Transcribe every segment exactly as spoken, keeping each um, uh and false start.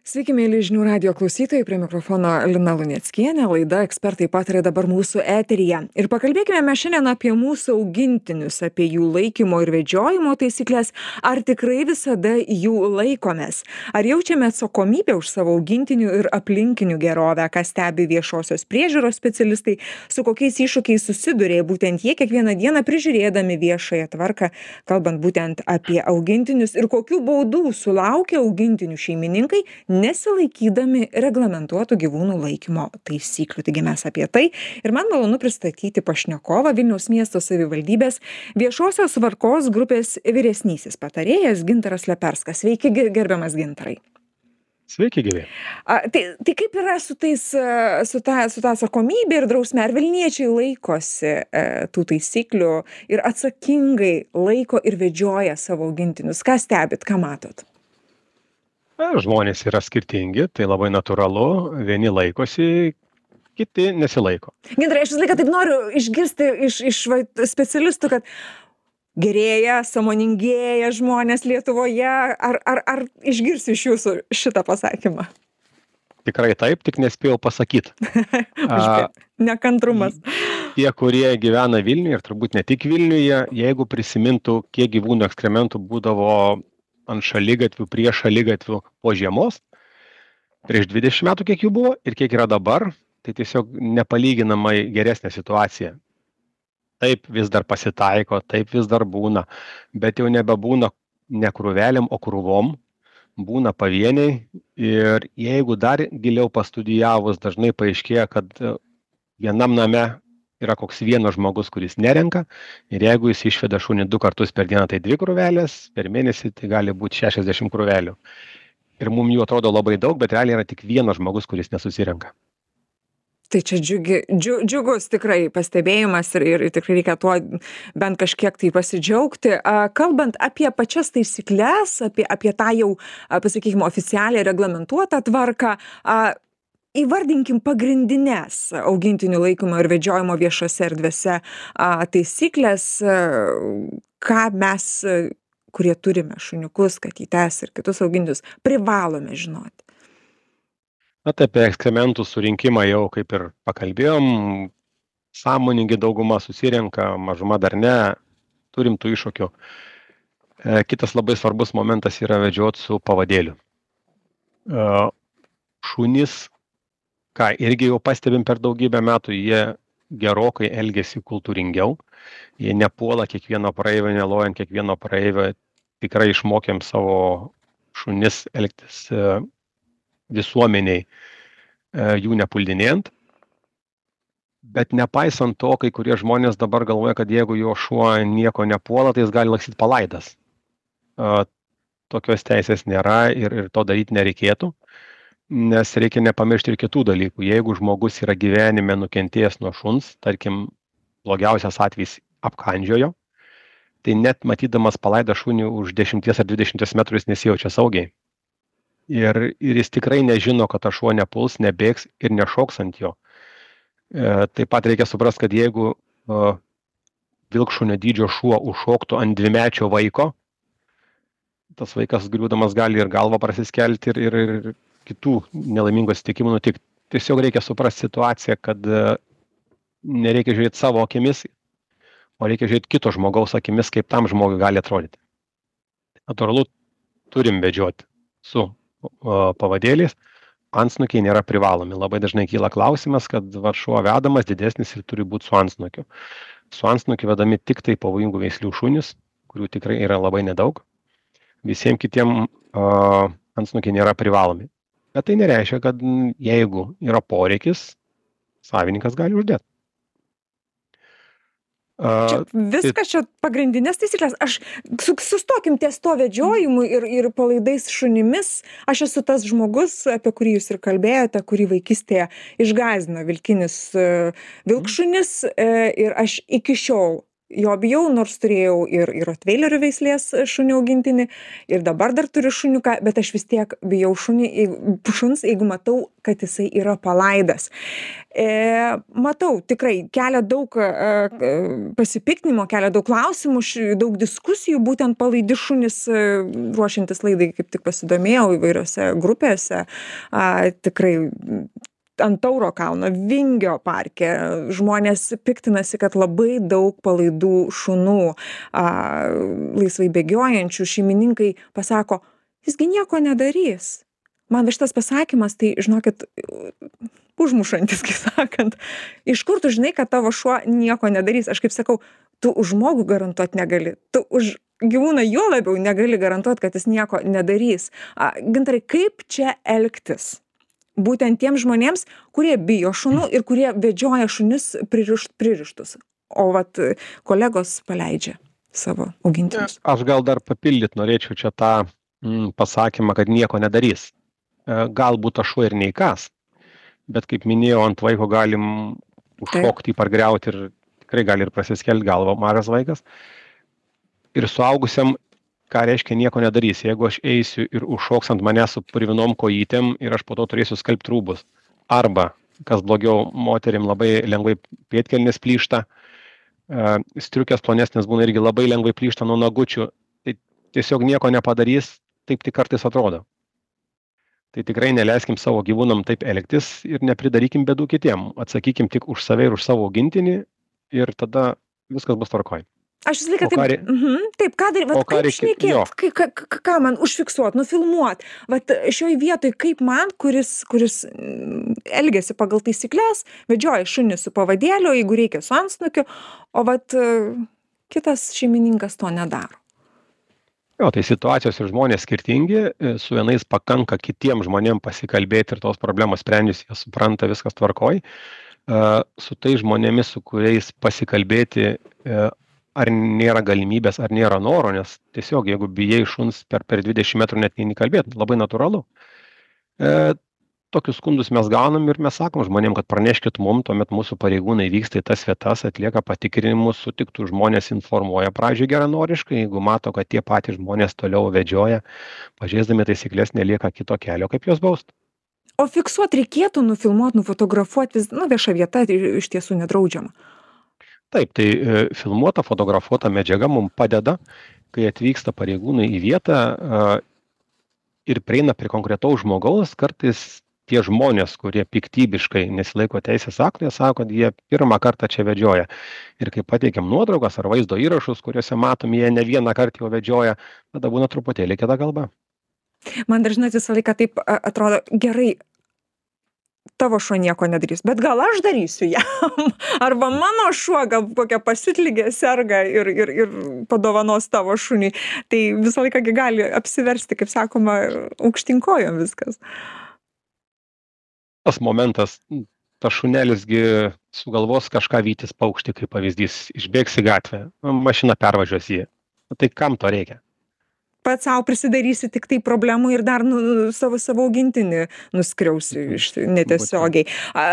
Sveiki, mėly žinių radijo klausytojai, prie mikrofono Lina Luneckienė, laida ekspertai pataria dabar mūsų eteryje. Ir pakalbėkime mes šiandien apie mūsų augintinius, apie jų laikymo ir vedžiojimo taisyklės, ar tikrai visada jų laikomės, ar jaučiame atsakomybę už savo augintinių ir aplinkinių gerovę, ką stebi viešosios priežiūros specialistai, su kokiais iššūkiais susiduria būtent jie kiekvieną dieną prižiūrėdami viešąją tvarką, kalbant būtent apie augintinius ir kokių baudų sulaukia augintinių šeimininkai, nesilaikydami reglamentuotų gyvūnų laikymo taisyklių. Taigi mes apie tai ir man malonu pristatyti pašnekovą Vilniaus miesto savivaldybės viešosios tvarkos grupės vyresnysis patarėjas Gintaras Leperskas. Sveiki, gerbiamas Gintarai. Sveiki, gyvi. A, tai, tai kaip yra su, tais, su, ta, su ta atsakomybė ir drausme? Ar Vilniečiai laikosi e, tų taisyklių ir atsakingai laiko ir vedžioja savo augintinius? Ką stebit, ką matot? Žmonės yra skirtingi, tai labai natūralu, vieni laikosi, kiti nesilaiko. Gintarai, aš visą laiką taip noriu išgirsti iš, iš va, specialistų, kad gerėja, sąmoningėja žmonės Lietuvoje, ar, ar, ar išgirsiu iš jūsų šitą pasakymą? Tikrai taip, tik nespėjau pasakyti. Nekantrumas. Tie, kurie gyvena Vilniuje ir turbūt ne tik Vilniuje, jeigu prisimintų, kiek gyvūnų ekskrementų būdavo ant šaligatvių, prie šaligatvių po žiemos, prieš dvidešimt metų kiek jų buvo ir kiek yra dabar, tai tiesiog nepalyginamai geresnė situacija. Taip vis dar pasitaiko, taip vis dar būna, bet jau nebebūna ne krūvelėm, o krūvom, būna pavieniai ir jeigu dar giliau pastudijavus, dažnai paaiškėja, kad vienam name yra koks vienas žmogus, kuris nerenka ir jeigu jis išveda šunį du kartus per dieną, tai dvi krūvelės, per mėnesį tai gali būti šešiasdešimt krūvelių. Ir mums jų atrodo labai daug, bet realiai yra tik vienas žmogus, kuris nesusirenka. Tai čia džiugi, džiu, džiugus tikrai pastebėjimas ir, ir tikrai reikia tuo bent kažkiek tai pasidžiaugti. Kalbant apie pačias taisyklės, apie, apie tą jau, pasakykime, oficialiai reglamentuotą tvarką, įvardinkim pagrindinės augintinių laikymo ir vedžiojimo viešose erdvėse taisyklės, ką mes, kurie turime šuniukus, katytes ir kitus augintinius, privalome žinoti. Na, tai apie ekskrementų surinkimą jau kaip ir pakalbėjom, sąmoningi dauguma susirenka, mažuma dar ne, turim tų iššūkių. Kitas labai svarbus momentas yra vedžioti su pavadėliu. Šunys, ką irgi jau pastebim per daugybę metų, jie gerokai elgiasi kultūringiau, jie nepuola kiekvieno praeivio, nelojant kiekvieno praeivio, tikrai išmokėm savo šunis elgtis visuomeniai, jų nepuldinėjant, bet nepaisant to, kai kurie žmonės dabar galvoja, kad jeigu jo šuo nieko nepuola, tai jis gali lakstyti palaidas. Tokios teisės nėra ir, ir to daryti nereikėtų. Nes reikia nepamiršti ir kitų dalykų. Jeigu žmogus yra gyvenime nukentėjęs nuo šuns, tarkim, blogiausias atvejis apkandžiojo, tai net matydamas palaidą šunį už dešimties ar dvidešimties metrų jis nesijaučia saugiai. Ir, ir jis tikrai nežino, kad tas šuo nepuls, nebėgs ir nešoks ant jo. E, taip pat reikia suprasti, kad jeigu e, vilkšunio dydžio šuo užšoktų ant dvimečio vaiko, tas vaikas griūdamas gali ir galvą prasiskelti ir, ir, ir kitų nelaimingų atsitikimų nutikti. Tiesiog reikia suprasti situaciją, kad nereikia žiūrėti savo akimis, o reikia žiūrėti kito žmogaus akimis, kaip tam žmogui gali atrodyti. Natūralu, turim vedžioti su o, pavadėliais, antsnukiai nėra privalomi. Labai dažnai kyla klausimas, kad va, šuo vedamas didesnis ir turi būti su antsnukiu. Su antsnukiu vedami tik tai pavojingų veislių šunys, kurių tikrai yra labai nedaug. Visiems kitiem o, antsnukiai nėra privalomi. Bet tai nereiškia, kad jeigu yra poreikis, savininkas gali uždėti. Čia viskas čia pagrindinės taisyklės. Aš sustokim ties to vedžiojimu ir, ir palaidais šunimis. Aš esu tas žmogus, apie kurį jūs ir kalbėjote, kurį vaikystėje išgąsdino vilkinis vilkšunis ir aš iki šiol jo bijau, nors turėjau ir, ir Rottweilerių veislės šunį augintinį, ir dabar dar turiu šuniuką, bet aš vis tiek bijau šunį, šuns, jeigu matau, kad jisai yra palaidas. E, matau, tikrai kelia daug e, pasipiktinimo, kelia daug klausimų, daug diskusijų, būtent palaidi šunis, e, ruošiantis laidai, kaip tik pasidomėjau įvairiose grupėse, a, tikrai ant Tauro kalno, Vingio parke. Žmonės piktinasi, kad labai daug palaidų šunų, a, laisvai bėgiojančių, šeimininkai pasako, jisgi nieko nedarys. Man šitas pasakymas, tai, žinokit, užmušantis, kaip sakant. Iš kur tu žinai, kad tavo šuo nieko nedarys? Aš kaip sakau, tu už žmogų garantuoti negali. Tu už gyvūną juo labiau negali garantuoti, kad jis nieko nedarys. A, Gintarai, kaip čia elgtis? Būtent tiems žmonėms, kurie bijo šunų ir kurie vedžioja šunis pririšt, pririštus. O vat kolegos paleidžia savo augintinius. Aš gal dar papildyt norėčiau čia tą mm, pasakymą, kad nieko nedarys. E, galbūt aš šuo ir neįkas, bet kaip minėjau, ant vaiko galim užšokti, pargriauti ir tikrai gali ir prasiskelti galvą mažas vaikas. Ir suaugusiam, ką reiškia nieko nedarys. Jeigu aš eisiu ir užšoks ant mane su purvinom kojytėm ir aš po to turėsiu skalbti rūbus. Arba, kas blogiau, moterim labai lengvai pėdkelnės plyšta, striukės plonesnės būna irgi labai lengvai plyšta nuo nagučių. Tai tiesiog nieko nepadarys, taip tik kartais atrodo. Tai tikrai neleiskim savo gyvūnam taip elgtis ir nepridarykim bėdų kitiem. Atsakykim tik už save ir už savo augintinį ir tada viskas bus tvarkoj. Aš visą laiką taip, rei... mhm, taip, ką daryti, vat kaip šnekėt, ką, ką, ką man užfiksuot, nufilmuot, vat šioj vietoj kaip man, kuris, kuris elgiasi pagal taisyklės, vedžioja šunį su pavadėliu, jeigu reikia su antsnukiu, o vat kitas šeimininkas to nedaro. Jo, tai situacijos ir žmonės skirtingi, su vienais pakanka kitiem žmonėm pasikalbėti ir tos problemos sprendžiasi, jie supranta, viskas tvarkoj. Su tai žmonėmis, su kuriais pasikalbėti, ar nėra galimybės, ar nėra noro, nes tiesiog, jeigu bijai šuns per, per dvidešimt metrų net neini kalbėti, labai natūralu. E, tokius skundus mes gaunam ir mes sakom žmonėm, kad praneškit mum, tuomet mūsų pareigūnai vyksta į tas vietas, atlieka patikrinimus, sutiktų žmonės informuoja pradžioj geranoriškai, jeigu mato, kad tie patys žmonės toliau vedžioja, pažeisdami taisyklės nelieka kito kelio, kaip juos bausti. O fiksuoti reikėtų, nufilmuoti, nufotografuoti, nu, vieša vieta iš tiesų nedraudžiama. Taip, tai e, filmuota, fotografuota medžiaga mums padeda, kai atvyksta pareigūnai į vietą e, ir prieina prie konkretaus žmogaus, kartais tie žmonės, kurie piktybiškai nesilaiko teisės aktų, jie sako, kad jie pirmą kartą čia vedžioja. Ir kai pateikiam nuotraukas ar vaizdo įrašus, kuriuose matom, jie ne vieną kartą jau vedžioja, tada būna truputėlį kita kalba. Man dažnai visą laiką taip atrodo, gerai, tavo šuo nieko nedarys, bet gal aš darysiu jam, arba mano šuo gal kokią pasitlygę serga ir, ir, ir padovanos tavo šunį. Tai visą laiką gali apsiversti, kaip sakoma, aukštinkojom viskas. Tas momentas, tas šunelisgi sugalvos kažką vytis paukštį, kaip pavyzdys, išbėgs į gatvę, mašina pervažiuos jį. Tai kam to reikia? Pats savo prisidarysi tik tai problemų ir dar nu, savo, savo augintinį nuskriausi iš netiesiogiai. A,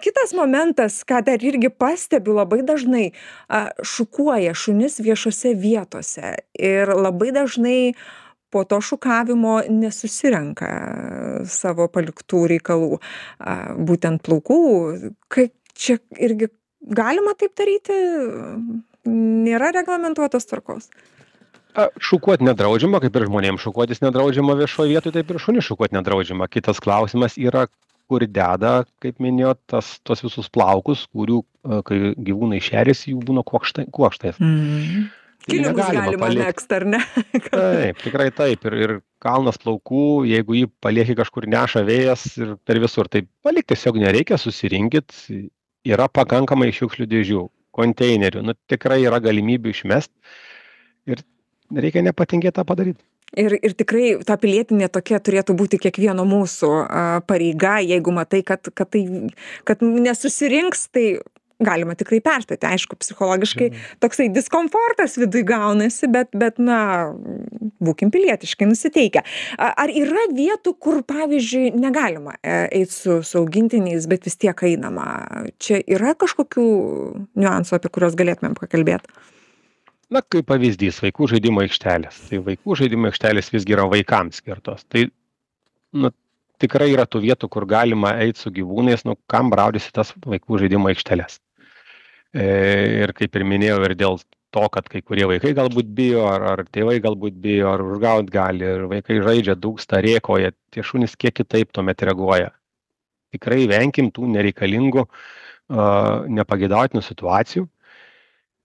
kitas momentas, ką dar irgi pastebiu labai dažnai, a, šukuoja šunis viešose vietose ir labai dažnai po to šukavimo nesusirenka savo paliktų reikalų, a, būtent plaukų. Kaip čia irgi galima taip daryti? Nėra reglamentuotos tvarkos. Šukuoti nedraudžiama, kaip ir žmonėms šukuotis nedraudžiama viešoje vietoje, taip ir šunį šukuoti nedraudžiama. Kitas klausimas yra, kur deda, kaip minėjot, tas, tos visus plaukus, kurių, kai gyvūnai šeriasi, jų būna kuokštai, kuokštais. Mm. Kilimus galima mėgst, ar ne? Taip, tikrai taip. Ir, ir kalnas plaukų, jeigu jį palieki kažkur neša vėjas ir per visur, tai palikti tiesiog nereikia, susirinkit. Yra pakankamai šiukšlių dėžių, konteinerių, nu tikrai yra galimybių išmest. Ir reikia nepatingėti tą padaryti. Ir, ir tikrai ta pilietinė tokia turėtų būti kiekvieno mūsų a, pareiga, jeigu matai, kad, kad, tai, kad nesusirinks, tai galima tikrai perstoti. Aišku, psichologiškai Žinoma. toksai diskomfortas viduj gaunasi, bet, bet na, būkim pilietiškai nusiteikę. A- Ar yra vietų, kur, pavyzdžiui, negalima eiti su, su augintiniais, bet vis tiek einama? Čia yra kažkokių niuansų, apie kuriuos galėtumėm pakalbėti? Na, kaip pavyzdys, vaikų žaidimo aikštelės. Tai vaikų žaidimo aikštelės visgi yra vaikams skirtos. Tai, nu, tikrai yra tų vietų, kur galima eiti su gyvūnais, nu, kam braudysi tas vaikų žaidimo aikštelės. E, ir kaip ir minėjau, ir dėl to, kad kai kurie vaikai galbūt bijo, ar, ar tėvai galbūt bijo, ar užgaut gali, ir vaikai žaidžia, dūksta, rėkoja, tie šunys kiek kitaip tuomet reaguoja. Tikrai venkim tų nereikalingų, uh, nepagėdautinų situacijų.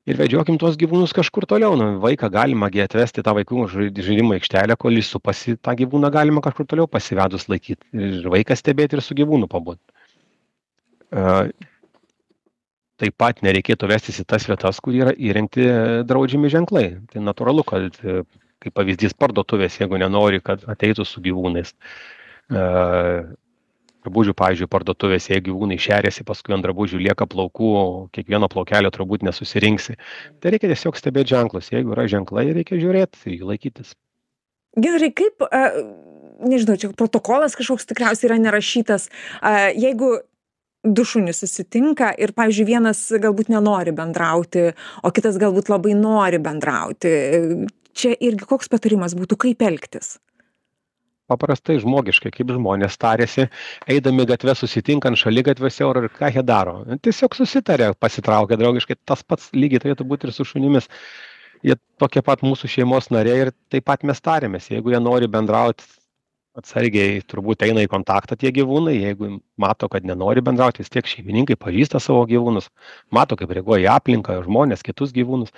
Ir vedžiokim tuos gyvūnus kažkur toliau. Nu, vaiką galima gi atvesti tą vaikų žaidimo aikštelę, kol jis supasi, tą gyvūną galima kažkur toliau pasivedus laikyti. Ir vaiką stebėti, ir su gyvūnu pabūti. Uh, taip pat nereikėtų vestis į tas vietas, kur yra įrengti draudžiami ženklai. Tai natūralu, kad kaip pavyzdys parduotuvės, jeigu nenori, kad ateitų su gyvūnais. Uh, Drabužių, pavyzdžiui, parduotuvės, jeigu gyvūnai šeriasi, paskui ant drabužių lieka plaukų, kiekvieno plaukelio turbūt nesusirinksi. Tai reikia tiesiog stebėti ženklus. Jeigu yra ženklai, reikia žiūrėti ir jų laikytis. Gintarai, kaip, a, nežinau, čia protokolas kažkoks tikriausiai yra nerašytas, a, jeigu du šunys susitinka ir, pavyzdžiui, vienas galbūt nenori bendrauti, o kitas galbūt labai nori bendrauti. Čia irgi koks patarimas būtų, kaip elgtis? Paprastai žmogiškai, kaip žmonės tarėsi, eidami gatvę susitinkant šaligatviuose, ir ką jie daro. Tiesiog susitarė, pasitraukia draugiškai, tas pats lygiai turėtų būti ir su šunimis. Jie tokie pat mūsų šeimos nariai ir taip pat mes tarėmės. Jeigu jie nori bendrauti, atsargiai turbūt eina į kontaktą tie gyvūnai, jeigu mato, kad nenori bendrauti, vis tiek šeimininkai pažįsta savo gyvūnus, mato, kaip reaguoja į aplinką, žmonės, kitus gyvūnus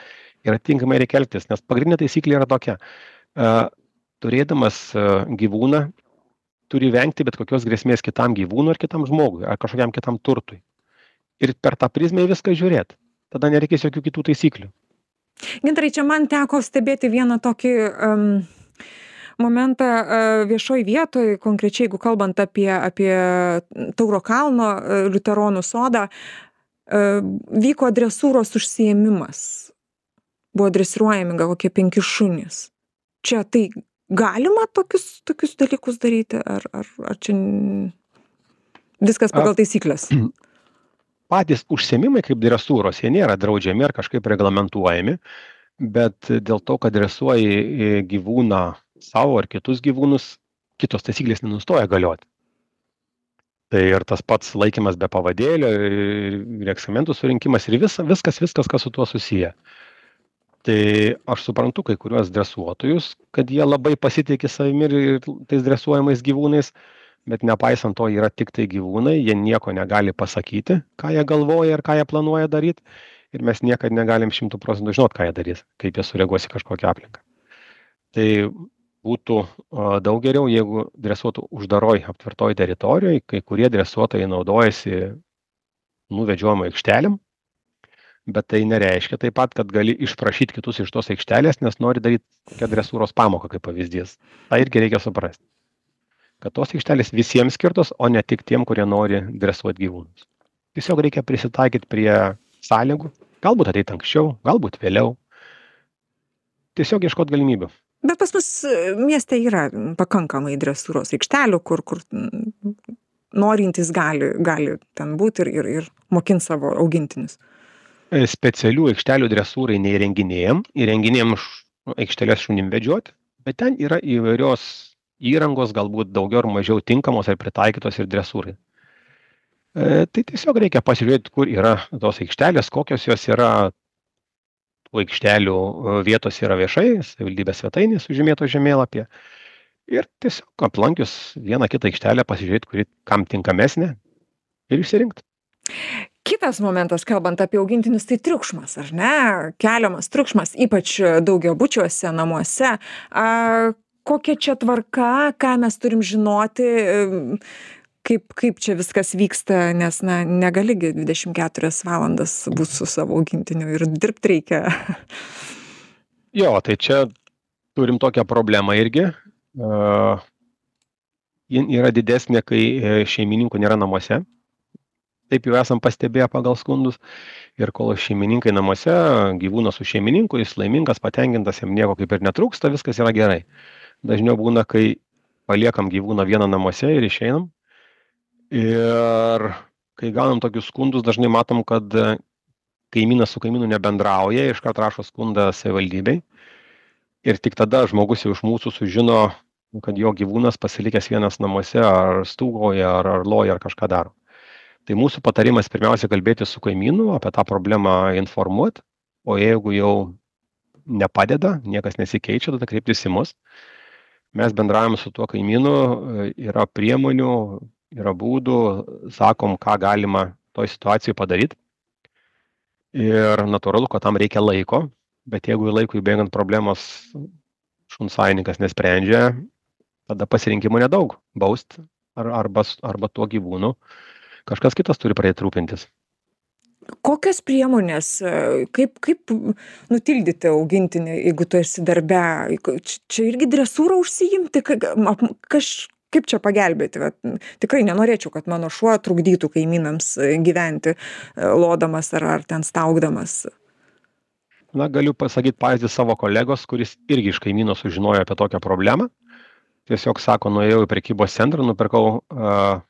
ir atitinkamai reikia elgtis, nes pagrindinė taisyklė yra tokia. Turėdamas gyvūną, turi vengti bet kokios grėsmės kitam gyvūnui ar kitam žmogui, ar kažkokiam kitam turtui. Ir per tą prizmę viską žiūrėti. Tada nereikės jokių kitų taisyklių. Gintarai, čia man teko stebėti vieną tokį um, momentą uh, viešoj vietoj, konkrečiai, jeigu kalbant apie, apie Tauro kalno uh, liuteronų sodą, uh, vyko dresūros užsiėmimas. Buvo dresiruojami gal kokie penki šunys. Čia tai galima tokius, tokius dalykus daryti, ar, ar, ar čia viskas pagal taisyklės? Patys užsiėmimai kaip dresūros, jie nėra draudžiami ar kažkaip reglamentuojami, bet dėl to, kad dresuoji gyvūną savo ar kitus gyvūnus, kitos taisyklės nenustoja galioti. Tai ir tas pats laikymas be pavadėlio, ir ekskrementų surinkimas, ir vis, viskas, viskas, kas su tuo susiję. Tai aš suprantu kai kuriuos dresuotojus, kad jie labai pasitikė savimi ir tais dresuojamais gyvūnais, bet nepaisant to yra tik tai gyvūnai, jie nieko negali pasakyti, ką jie galvoja ir ką jie planuoja daryti, ir mes niekad negalim šimtų procentų žinot, ką jie darys, kaip jie sureaguos į kažkokią aplinką. Tai būtų daug geriau, jeigu dresuotų uždaroj, aptvertoj teritorijoj, kai kurie dresuotojai naudojasi nuvedžiojimo aikštelėm, bet tai nereiškia taip pat, kad gali išprašyti kitus iš tos aikštelės, nes nori daryti kokią dresūros pamoką kaip pavyzdys. Tai irgi reikia suprasti, kad tos aikštelės visiems skirtos, o ne tik tiem, kurie nori dresuoti gyvūnus. Tiesiog reikia prisitaikyti prie sąlygų, galbūt ateiti anksčiau, galbūt vėliau. Tiesiog ieškoti galimybių. Bet pas mus mieste yra pakankamai dresūros aikštelių, kur, kur norintys gali, gali ten būti ir, ir, ir mokinti savo augintinius. Specialių aikštelių dresūrai neįrenginėjam, įrenginėjam aikštelės šunim vedžioti, bet ten yra įvairios įrangos, galbūt daugiau ar mažiau tinkamos ar pritaikytos ir dresūrai. E, tai tiesiog reikia pasižiūrėti, kur yra tos aikštelės, kokios jos yra. Tų aikštelių vietos yra viešai, savivaldybės svetainės sužymėto žemėlapyje. Ir tiesiog aplankius vieną kitą aikštelę pasižiūrėti, kuri kam tinkamesnė ir išsirinkti. Kitas momentas, kalbant apie augintinius, tai triukšmas, ar ne? Keliamas triukšmas, ypač daugiabučiuose, namuose. A, kokia čia tvarka, ką mes turim žinoti, kaip, kaip čia viskas vyksta, nes na, negali dvidešimt keturias valandas būti su savo augintiniu ir dirbti reikia. Jo, tai čia turim tokią problemą irgi. Uh, ji yra didesnė, kai šeimininkų nėra namuose. taip jau esam pastebėję pagal skundus. Ir kol šeimininkai namuose, gyvūnas su šeimininku, jis laimingas, patenkintas, jam nieko kaip ir netrūksta, viskas yra gerai. Dažniau būna, kai paliekam gyvūną vieną namuose ir išeinam. Ir kai gaunam tokius skundus, dažnai matom, kad kaimynas su kaimynu nebendrauja, iškart rašo skundą savivaldybei. Ir tik tada žmogus jau iš mūsų sužino, kad jo gyvūnas pasilikęs vienas namuose, ar stūgauja, ar, ar loja, ar kažką daro. Tai mūsų patarimas pirmiausia kalbėti su kaimynu, apie tą problemą informuoti, o jeigu jau nepadeda, niekas nesikeičia, tada kreiptis į mus. Mes bendravim su tuo kaimynu, yra priemonių, yra būdų, sakom, ką galima toj situacijai padaryti. Ir natūralu, kad tam reikia laiko, bet jeigu laikui bėgant problemos šuns savininkas nesprendžia, tada pasirinkimo nedaug, baust ar, arba, arba tuo gyvūnu. Kažkas kitas turi pradėti rūpintis. Kokios priemonės, kaip, kaip nutildyti augintinį, jeigu tu esi darbe? Čia irgi dresūrą užsiimti, kaž, kaip čia pagelbėti? Vat, tikrai nenorėčiau, kad mano šuo trukdytų kaimynams gyventi, lodamas ar, ar ten staugdamas. Na, galiu pasakyti pavyzdį savo kolegos, kuris irgi iš kaimyno sužinojo apie tokią problemą. Tiesiog sako, nuėjau į prekybos centrą, nupirkau uh,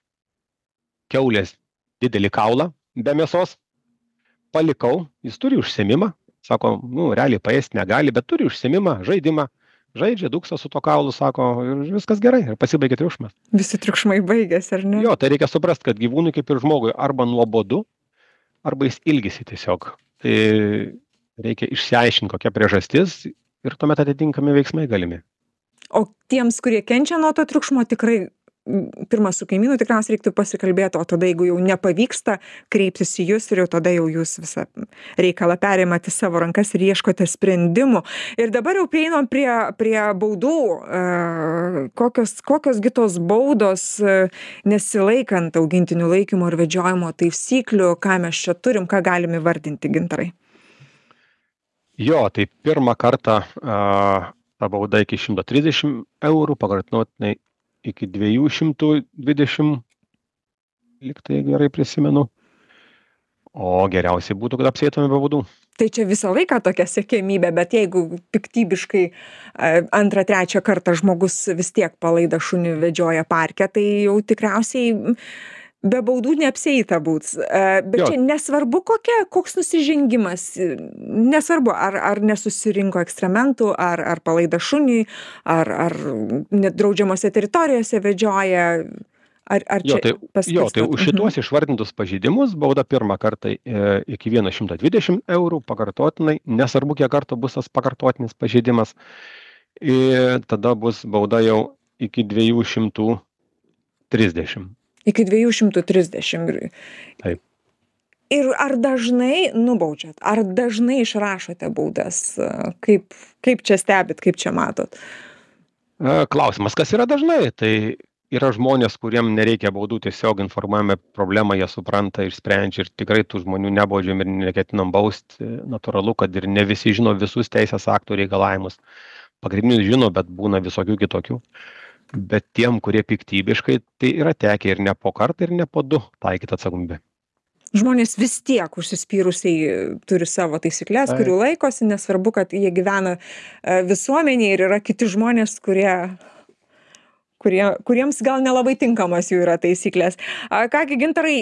kiaulės didelį kaulą be mėsos, palikau, jis turi užsiėmimą, sako, nu, realiai paėsti negali, bet turi užsiėmimą, žaidimą, žaidžia, dūksta su to kaulu, sako, ir viskas gerai, ir pasibaigė triukšmas. Visi triukšmai baigėsi, ar ne? Jo, tai reikia suprasti, kad gyvūnui kaip ir žmogui arba nuobodu, arba jis ilgisi tiesiog. Tai reikia išsiaiškinti, kokia priežastis ir tuomet atitinkami veiksmai galimi. O tiems, kurie kenčia nuo to triukšmo, tikrai pirmą su kaimynu tikriausiai reiktų pasikalbėti, o tada, jeigu jau nepavyksta, kreiptis į jūs ir jau tada jau jūs visą reikalą perimate į savo rankas ir ieškote sprendimų. Ir dabar jau prieinam prie, prie baudų. Kokios, kokios kitos baudos nesilaikant augintinių laikymo ir vedžiojimo taisyklių, ką mes čia turim, ką galime įvardinti, Gintarai? Jo, tai pirmą kartą a, ta bauda iki šimto trisdešimt eurų, pakartotinai iki dviejų šimtų dvidešimt, lyg tai gerai prisimenu. O geriausiai būtų, kad apsieitume be baudų. Tai čia visą laiką tokia siekiamybė, bet jeigu piktybiškai antrą, trečią kartą žmogus vis tiek palaidą šunį vedžioja parke, tai jau tikriausiai be baudų neapsieita būt. Bet jo. Čia nesvarbu kokia, koks nusižengimas, nesvarbu, ar, ar nesusirinko ekstrementų, ar, ar palaida šunį, ar, ar nedraudžiamose teritorijose vedžioja, ar, ar jo, čia tai, paskirsto? Jo, tai už šitos išvardintus pažeidimus bauda pirmą kartą e, iki šimto dvidešimt eurų, pakartotinai, nesvarbu, kiek kartų bus tas pakartotinis pažeidimas, ir tada bus bauda jau iki dviejų šimtų trisdešimt. Iki dviejų šimtų trisdešimt. Taip. Ir ar dažnai nubaudžiat, ar dažnai išrašote baudas? Kaip, kaip čia stebit, kaip čia matot? Klausimas, kas yra dažnai? Tai yra žmonės, kuriem nereikia baudų, tiesiog informuojame problemą, jie supranta ir sprendžia ir tikrai tų žmonių nebaudžiam ir neketinam bausti. Natūralu, kad ir ne visi žino visus teisės aktų reikalavimus. Pagrindinius žino, bet būna visokių kitokių. Bet tiem, kurie piktybiškai, tai yra tekę ir ne po kartą, ir ne po du taikyti atsakomybę. Žmonės vis tiek užsispyrusiai turi savo taisyklės, kurių laikosi, nesvarbu, kad jie gyvena visuomenėje ir yra kiti žmonės, kurie, kurie, kuriems gal nelabai tinkamas jų yra taisyklės. Kągi, Gintarai,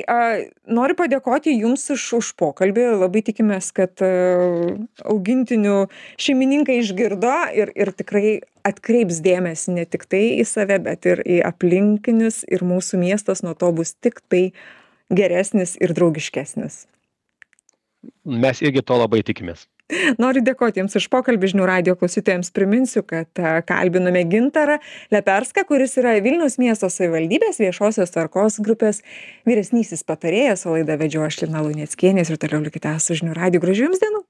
noriu padėkoti Jums už, už pokalbį. Labai tikimės, kad augintinių šeimininkai išgirdo ir, ir tikrai atkreips dėmesį ne tik tai į save, bet ir į aplinkinius, ir mūsų miestas nuo to bus tik tai geresnis ir draugiškesnis. Mes irgi to labai tikimės. Noriu dėkoti Jums už pokalbį. Žinių radijo klausytojams priminsiu, kad kalbinome Gintarą Leperską, kuris yra Vilniaus miesto savivaldybės viešosios tvarkos grupės vyresnysis patarėjas, o laidą vedžiau aš, Lina Luneckienė, ir toliau likite su Žinių radiju. Gražių Jums dienų.